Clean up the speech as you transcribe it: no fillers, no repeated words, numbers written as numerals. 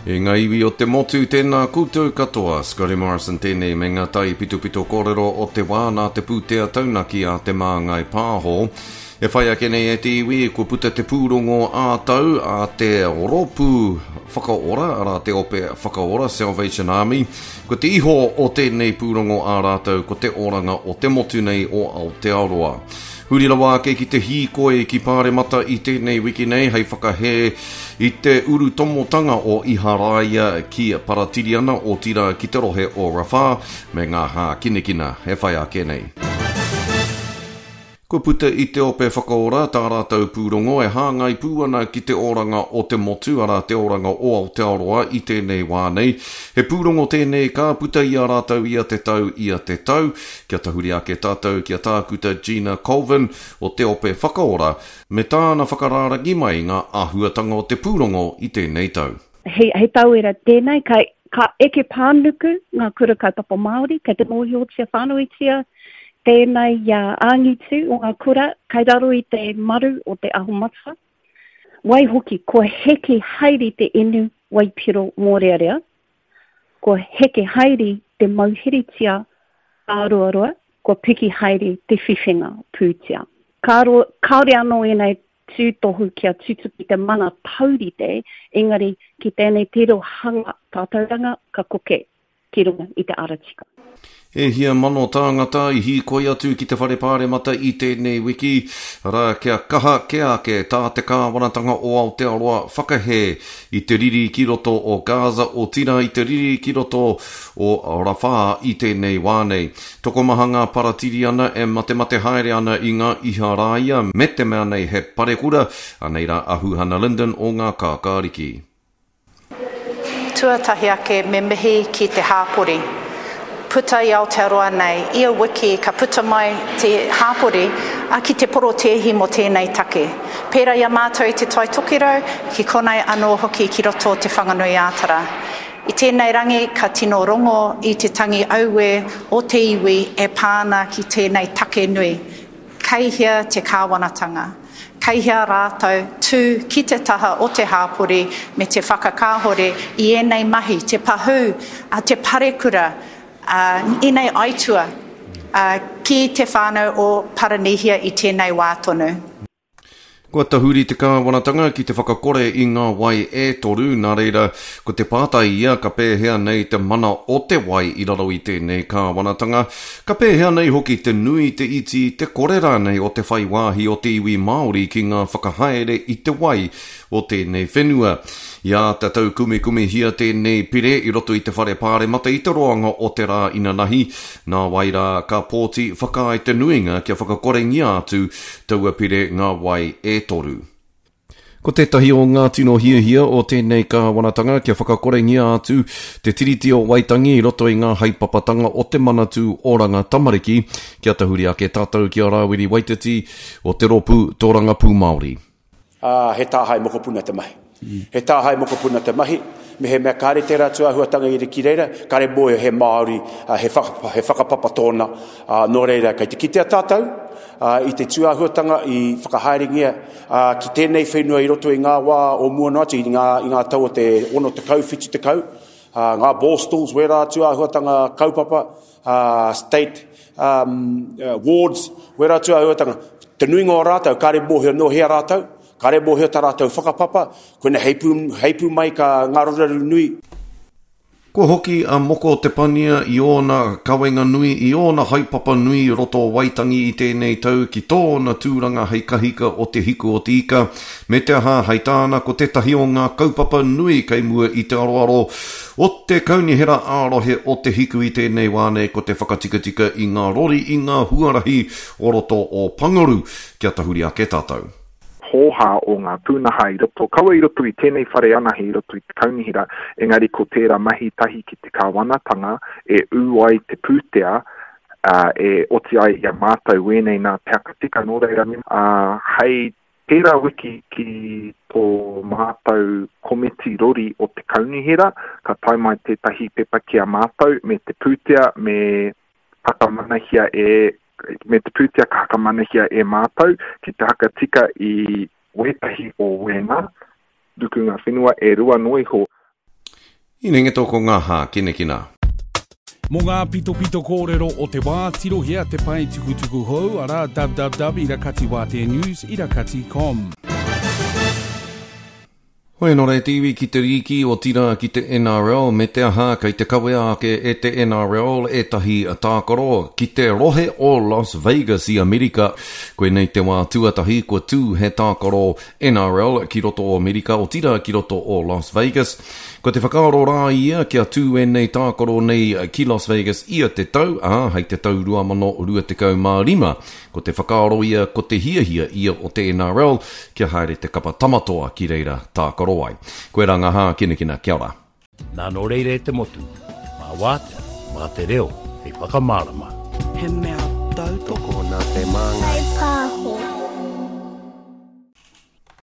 E ngā iwi o te motu, tēnā koutou katoa. Scotty Morrison tēnei me ngā taipitopito kōrero o te wā nā te pūtea taunaki a Te Māngai Pāho. E whai ake nei e te iwi, kua puta te pūrongo ā-tau a te Rōpū Whakaora, arā te Ope Whakaora, Salvation Army. Ko te iho o tēnei pūrongo ā rātou ko te oranga o te motu nei o Aotearoa. Huri rawa ake ki te hīkoi ki Pāremata i tēnei wiki nei hei whakahē i te urutomotanga o Iharaia ki Paratiriana, otirā ki te rohe o Rafah, me ngā hākinakina e whai ake nei. Kua puta i Te Ope Whakaora tā rātou pūrongo e hāngai pū ana ki te oranga o te motu, arā, te oranga o Aotearoa i tēnei wā nei. He pūrongo tēnei ka puta i a rātou ia te tau, ia te tau. Kia tahuri ake tātou ki a Tākuta Gina Colvin o Te Ope Whakaora me tāna whakarārangi mai ngā āhuatanga o te pūrongo i tēnei tau. He, he tauira tēnei, ka, ka eke pānuku ngā kura kaupapa Māori, kei te mōhiotia whānuitia tēnei angitu o ngā kura kei raro i te maru o Te Aho Matua. Waihoki, kua heke haere te inu waipiro mōrearea, kua heke haere te mauheretia āroaroa, kua piki haere te whiwhinga pūtea. Kāore anō ēnei tūtohu kia tutuki te mana taurite, engari ki tēnei tirohanga tātauranga ka koke ki runga i te ara tika. E hia mano tāngata i hīkoi atu ki te Whare Pāremata i tēnei wiki, arā, kia kaha kē ake tā te kāwanatanga o Aotearoa whakahē i te riri ki roto o Gaza, otirā i te riri ki roto o Rafah i tēnei wā nei. Tokomaha ngā Paratiriana e matemate haere ana i ngā Iharaia me te mea nei he parekura, anei rā a Huhana Lyndon o Ngā Kākāriki. Tuatahi ake me mihi ki te hāpori. Puta i Aotearoa nei, ia wiki ka puta mai te hāpori ki te porotēhi mō tēnei take. Pērā i a mātou i Te Tai Tokerau, ki konei anō hoki ki roto o Te Whanganui-ā-Tara. I tēnei rangi ka tino rongo i te tangi auē o te iwi e pā ana ki tēnei take nui. Kei hea te kāwanatanga? Kei hea rātou tū ki te taha o te hāpori me te whakakāhore i ēnei mahi, te pahū, te parekura, ēnei aitua ki te whānau o Paranihia i tēnei wā tonu? Kua tahuri te kāwanatanga ki te whakakore i ngā wai e toru, nā reira, ko te pātai ia ka pēhea nei te mana o te wai i raro i tēnei kāwanatanga? Ka pēhea nei hoki te nui, te iti, te kore rānei o te whai wāhi o te iwi Māori ki ngā whakahaere i te wai o tēnei whenua? I āta taukumikumihia tēnei pire i roto i te Whare Pāremata i te roanga o te rā inanahi, nāwai rā ka pōti whakaae te nuinga kia whakakorengia atu taua pire ngā wai e toru. Ko tētahi o ngā tino hiahia o tēnei kāwanatanga kia whakakorengia atu te Tiriti o Waitangi i roto i ngā haepapatanga o te Manatū Oranga Tamariki, kia tahuri ake tātou ki a Rāwiri Waititi o te Rōpū Tōrangapū Māori. Ā, he tāhae mokopuna te mahi. He tāhae mokopuna te mahi, mehemea kāre tērā tūāhuatanga i ki reira, kāre mōhio he Māori, he he whakapapa tōna, ā, nō reira, kei te kitea tātou, ā, i te tūāhuatanga i whakahaerengia, ā, ki tēnei whenua i roto i ngā wā o mua noa atu, i ngā, i ngā tau o te 60, 70, ā, ngā borstals, wērā tūāhuatanga kaupapa, ā, state, um, wards, wērā tūāhuatanga, te nuinga o rātou, kāre mōhio nō hea rātou, kāre mōhio tā rātou whakapapa, koina heipū, heipū mai ka ngā raruraru nui. Kua hoki a Moko Te Pania i ōna kawenga nui, i ōna haepapa nui i roto o Waitangi i tēnei tau ki tōna tūranga hei kahika o Te Hiku o Te Ika, me te aha, hei tāna ko tētahi o ngā kaupapa nui kei mua i te aroaro o te Kaunihera ā-Rohe o Te Hiku i tēnei wā nei ko te whakatikatika i ngā rori i ngā huarahi o roto o Pangaru. Kia tahuri ake tātou. Hōhā o ngā pūnaha i roto, kaua i roto i tēnei whare anahe i roto i te kaunihera, engari ko tērā mahi tahi ki te kāwanatanga e ū ai te pūtea, ā, e oti ai i a mātou wēnei nā te haka tika, nō reira, ā, hei Tērā wiki ki tō mātou komiti rori o te kaunihera, ka tae mai tētahi pepa ki a mātou me te pūtea me whakamanahia e, me te pūtea ka whakamanahia e mātou ki te hakatika i wētahi o wēnā rukunga whenua e rua noa iho. Hinengeto ko ngā hākinakina. Mō ngā pitopito kōrero o te wā, tirohia te pae tukutuku hou, arā, www ira kati wātea news ira kati com. Hoi anō rā te iwi ki te rīki, otirā ki te NRL, me te aha, kei te kawea ake e te NRL ētahi tākaro ki te rohe o Las Vegas i Amerika. Koinei te wā tuatahi kua tū he tākaro NRL ki roto o Amerika, otirā ki roto o Las Vegas. Ko te whakaaro rā ia kia tū ēnei tākaro nei ki Las Vegas ia te tau, ā, hei te tau 2025. Ko te whakaaro ia, ko te hiahia ia o te NRL kia haere te kapa Tamatoa ki reira tākaro ai. Koirā ngā hākinakina, kia ora. Nā nō reira e te motu, mā Wātea, mā te reo hei whakamārama. He mea tautoko. Tokona te māngai.